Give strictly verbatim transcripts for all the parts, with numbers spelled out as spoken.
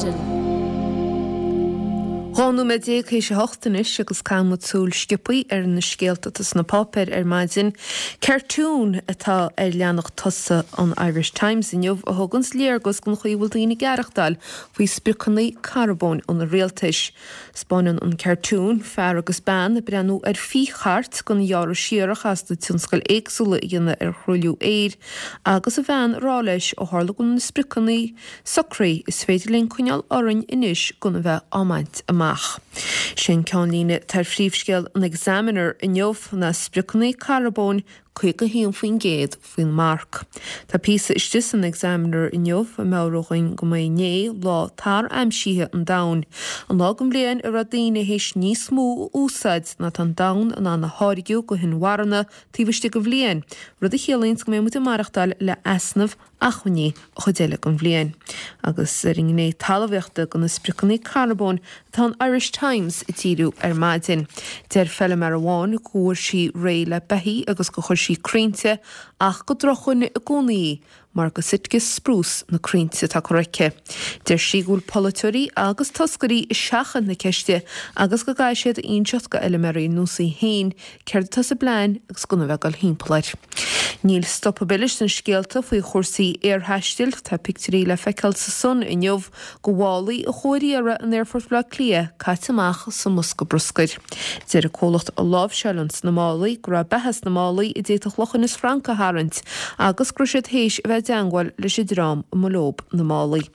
maidin. Dhá nóiméad déag théis a hocht anois agus caithfidh muid súil sciobtha ar na scéalta atá sna páipéir ar maidin. Cartoon atá ar leathanach tosaigh an Irish Times inniu a thuganns léargas den chaoi a bhfuil daoine ag aireachtáil faoi spriocanna carbóin an rialtais. 'Spáineann an cartoon fear agus bean ag breathnú ar phíchairt den ghearradh siar a chaitheas na tionscail éagsúla a dhéanamh ar thruailliú aeir agus an bhean ag rá leis ó tharla go bhfuil na spriocanna socraithe is féidir linn coinneáil orainn anois gan a bheith á mbaint amach. Sin ceannlíne atá ar phríomhscéal an Examiner inniu ná spriocanna carbóin caoga haon faoin gcéad faoin marc. Tá píosa istigh san Examiner inniu ag meabhrú dhúinn go mba inné lá tar-aimsithe an domhain, an lá den bhliain a raibh daoine théis níos mó a úsáid ná tá an domhan in ann a tháirgeadh go hinmharthana taobh istigh de bhliain, rud a chiallaíonn go mbeidh muid ag maireachtáil le easnamh acmhainní an chuid eile den bhliain. Agus ar an ngné talmhaíochta de na spriocanna carbóin atá an Irish Times ag díriú ar maidin. Deir feilméara amháin go bhfuair sí réidh le beithígh agus gur chuir sí crainnte ach gur drochdhuine i gcónaí í mar go Sitka spruce na crainnte atá curtha aici. Deir sí go bhfuil polaiteoirí agus toscairí ag seachaint na ceiste agus go gcaithfidh siad a inseacht go fheilméaraí ar nós í féin céard atá sa bplean agus gan a bheith ag dul thimpeall air. Níl stop ar bith leis na scéalta faoi chúrsaí aerthaistil, tá pictiúirí le feiceáil sa Sun inniu de mhálaí a chuaigh ar iarraidh in Aerfort Bhaile Átha Cliath caite amach sa mbosca bruscair. Deir an comhlacht a láimhseálann na málaí go raibh beatha sna málaí a d'fhéadfadh luch Inis Frainc a tharraingt agus go raibh siad théis a bheith i dteangmháil leis an dream a mba leob na málaí.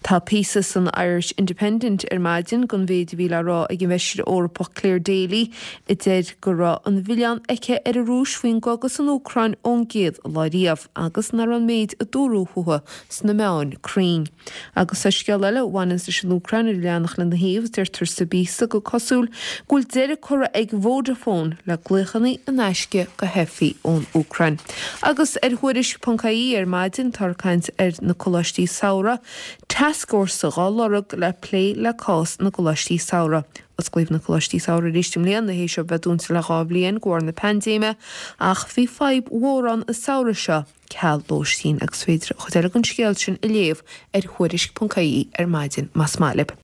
Tá píosa san Irish Independent ar maidin den mhéid a bhí le rá ag an bhfeisire Eorpach Clare Daly a deir go raibh an mhilleán aici ar an Rúis faoin gcogadh san Úcráin ón gcéad lá riamh agus nach raibh an méid a dúradh fúthu sna meáin cruinn. Agus sa scéal eile a bhaineann leis an Úcráin ar an leathanach lena thaobh, deirtear sa bpíosa gur cosúil go bhfuil deireadh curtha ag Vodafone le glaochanna in aisce go theifigh ón Úcráin. Agus ar Thuairisc ponc ie ar maidin tá caint ar na coláistí samhraidh, tascfhórsa dhá lorg le plé le cás na gcoláistí samhraidh. Osclaíodh na coláistí samhraidh arís i mbliana théis a bheith dúnta le dhá bhliain de bharr na paindéime ach bhí fadhb mhór ann an samhradh seo ceal lóistín agus féidir an chuid eile den scéal sin a léamh ar Thuairisc ponc ie ar maidin más maith libh.